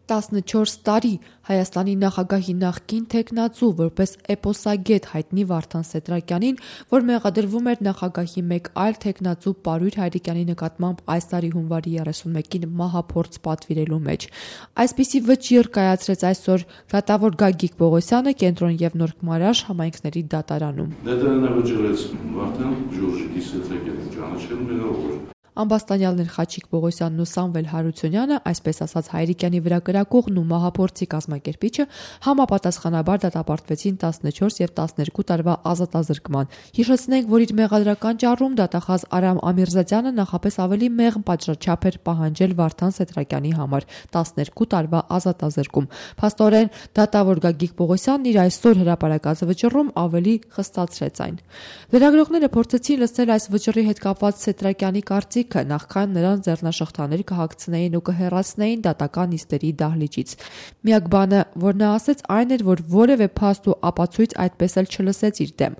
14 տարի Հայաստանի նախագահի նախկին թեկնածու որպես էպոսագետ հայտնի Վարդան Սեդրակյանին, որ մեղադրվում էր նախագահի մեկ այլ թեկնածու Պարույր Հայրիկյանի նկատմամբ այս տարի հունվարի 31-ին մահափորձ պատվիրելու մեջ։ Այսպիսի վճիռ կայացրեց այսօր դատավոր Գագիկ Պողոսյանը Կենտրոն եւ Նոր Քմարաշ համայնքների դատարանում։ Դատարանը վճռեց Վարդան Ժորժիկի Սեդրակյանին ճանաչելու Ամբաստանյալներ Խաչիկ Պողոսյանն ու Սամվել Հարությունյանը, այսպես ասած Հայրիկյանի վրա կրակողն ու մահափորձի կազմակերպիչը համապատասխանաբար դատապարտվեցին 14 եւ 12 տարվա ազատազրկման։ Հիշեցնենք, որ իր մեղադրական ճառում դատախազ Արամ Ամիրզադյանը նախապես ավելի մեղմ պատժաչափ էր պահանջել Վարդան Սեդրակյանի համար 12 տարվա ազատազրկում։ Փաստորեն դատավոր Գագիկ Պողոսյանն իր այսօր հրապարակած վճռում ավելի խստացրեց այն։ Լրագրողները փորձեցին լսել այս վճռի հետ կապված Սեդրակյանի կարծիք նախքան նրան ձեռնաշղթաներ կհագցնեին ու կհեռացնեին դատական նիստերի դահլիճից։ Միակ բանը, որ նա ասեց, այն էր, որ որևէ փաստ ու ապացույց այդպես էլ չլսեց իր դեմ։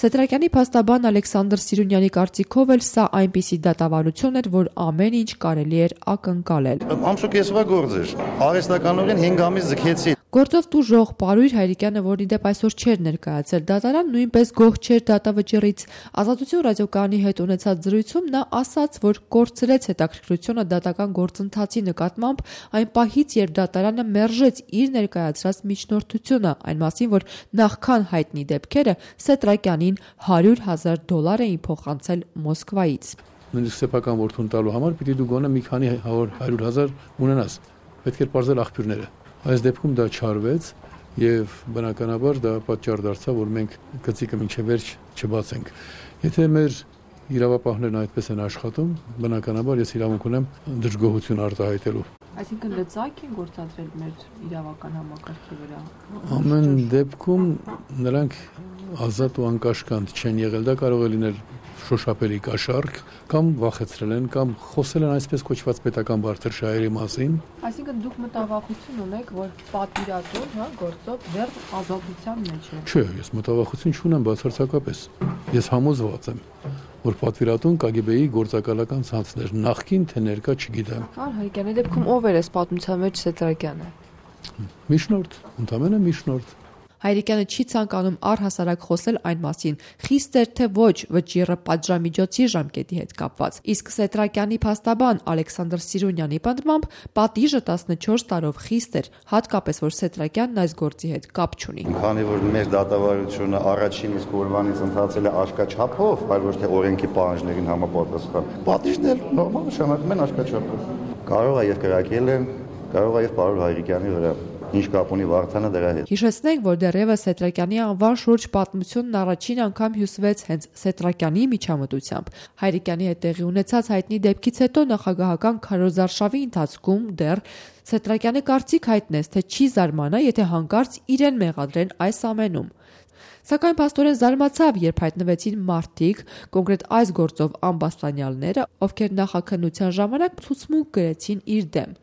Սեդրակյանի փաստաբան Ալեքսանդր Սիրունյանի կարծիքով էլ սա այնպիսի դատավարություն էր, որ ամեն ինչ կարելի էր ակնկալել։ Ամսուկեսվա գործ էր։ Արհեստականորեն 5 ամիս ձգեցի։ Գործով տուժող Պարույր Հայրիկյանը, որի դեպ այսօր չէր ներկայացել դատարան, նույնպես գոհ չէր դատավճռից։ Ազատություն ռադիոկայանի հետ ունեցած զրույցում նա ասաց, որ կորցրեց հետաքրքրությունը դատական գործընթացի նկատմամբ այն պահից, երբ դատարանը մերժեց իր ներկայացրած միջնորդությունը, այն մասին, որ նախքան հայտնի դեպքերը Սեդրակյանին $100,000 էին փոխանցել Մոսկվայից։ Նույնիսկ սեփական որդուն տալու համար պիտի դու գոնե մի քանի 100,000 ունենաս։ Պետք էր պարզել աղբյուրները։ Այս դեպքում դա չարվեց եւ բնականաբար դա պատճառ դարձավ, որ մենք գծիկը մինչեւ վերջ չբացենք։ Եթե մեր իրավապահներն այդպես են աշխատում, բնականաբար ես իրավունք ունեմ դժգոհություն արտահայտելու։ Այսինքն լծակ են գործադրել մեր իրավական համակարգի վրա։ Ամեն դեպքում նրանք ազատ ու անկաշկանդ չեն եղել, դա կարող է լինել շոշափելի կաշառք, կամ վախեցրել են, կամ խոսել են այսպես կոչված պետական բարդրշահերի մասին։ Այսինքն դուք մտավախություն ունեք, որ պատվիրատուն, գործով դեռ ազատության մեջ է։ Չէ, ես մտավախություն չունեմ բացարձակապես։ Ես համոզված եմ, որ պատվիրատուն KGB-ի գործակալական ցանցներ նախկին թե ներկա չգիտեմ։ Հայրիկյանի դեպքում ով էր այս պատմության մեջ Սեդրակյանը։ Միջնորդ, ընդամենը միջնորդ։ Հայրիկյանը չի ցանկանում առհասարակ խոսել այն մասին, խիստ էր թե ոչ վճիռը պատժամիջոցի ժամկետի հետ կապված։ Իսկ Սեդրակյանի փաստաբան Ալեքսանդր Սիրունյանի պատմամբ պատիժը 14 տարով խիստ էր, հատկապես որ Սեդրակյանն այս գործի հետ կապ չունի։ Քանի որ մեր դատավարությունը առաջին իսկ օրվանից ընթացել է աշկաչափով, այլ ոչ թե օրենքի պահանջներին համապատասխան, պատիժն էլ նորմալ նշանակում են աշկաչափով։ Կարող է եւ կրակել են, կարող է եւ Պարույր Հայրիկյանի վրա։ Ինչ կապ ունի Վարդանը դրա հետ։ Հիշեցնենք, որ դեռևս Սեդրակյանի անվան շուրջ պատմությունն առաջին անգամ հյուսվեց հենց Սեդրակյանի միջամտությամբ։ Հայրիկյանի հետ տեղի ունեցած հայտնի դեպքից հետո նախագահական քարոզարշավի ընթացքում դեռ Սեդրակյանը կարծիք հայտնեց, թե չի զարմանա, եթե հանկարծ իրեն մեղադրեն այս ամենում։ Սակայն փաստորեն զարմացավ, երբ հայտնվեցին մարդիկ, կոնկրետ այս գործով ամբաստանյալները, ովքեր նախաքննության ժամանակ ցուցմունք գրեցին իր դեմ։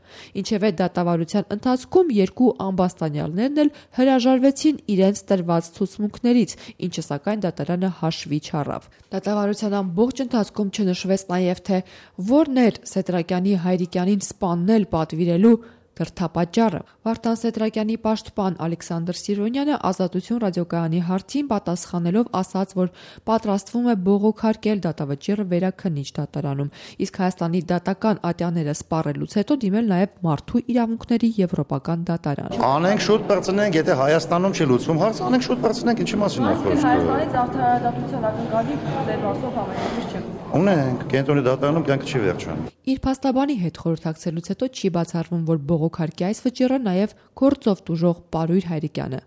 Ինչևէ դատավարության ընթացքում երկու ամբաստանյալներն էլ հրաժարվեցին իրենց տրված ցուցմունքներից, ինչը սակայն դատարանը հաշվի չառավ։ Դատավարության ամբողջ ընթացքում չնշվեց նաև, թե որն էր Սեդրակյանի Հայրիկյանին սպանել պատվիրելու դրդապատճառը։ Վարդան Սեդրակյանի պաշտպան Ալեքսանդր Սիրոնյանը Ազատություն ռադիոկայանի հարցին պատասխանելով ասաց, որ պատրաստվում է բողոքարկել դատավճիռը վերաքննիչ դատարանում, իսկ Հայաստանի դատական ատյանները սպառելուց հետո դիմել նաև մարդու իրավունքների եվրոպական դատարան։ Անենք շուտ բրծնենք, եթե Հայաստանում չի լուծվում հարցը, անենք շուտ բրծնենք, ինչի մասին է խոսքը։ Հայաստանից արդարադատության ակնկալիք ձեր ասով համենայնիվ չէ։ Ունենք, կենտրոնի դատարանում կյանքը չի վերջանում։ Իր փաստաբանի հետ խորհրդակցելուց հետո չի բացառվում, որ բողոքարկի այս վճիռը նաև գործով տուժող Պարույր Հայրիկյանը։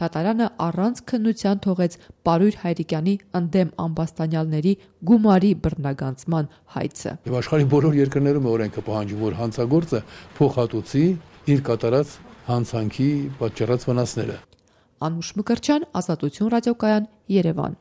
Դատարանը առանց քննության թողեց Պարույր Հայրիկյանի ընդդեմ ամբաստանյալների գումարի բռնագանցման հայցը։ Եվ աշխարհի բոլոր երկրներում օրենքը պահանջում, որ հանցագործը փոխհատուցի իր կատարած հանցանքի պատճառած վնասները։ Անուշ Մկրտչյան, Ազատություն ռադիոկայան, Երևան։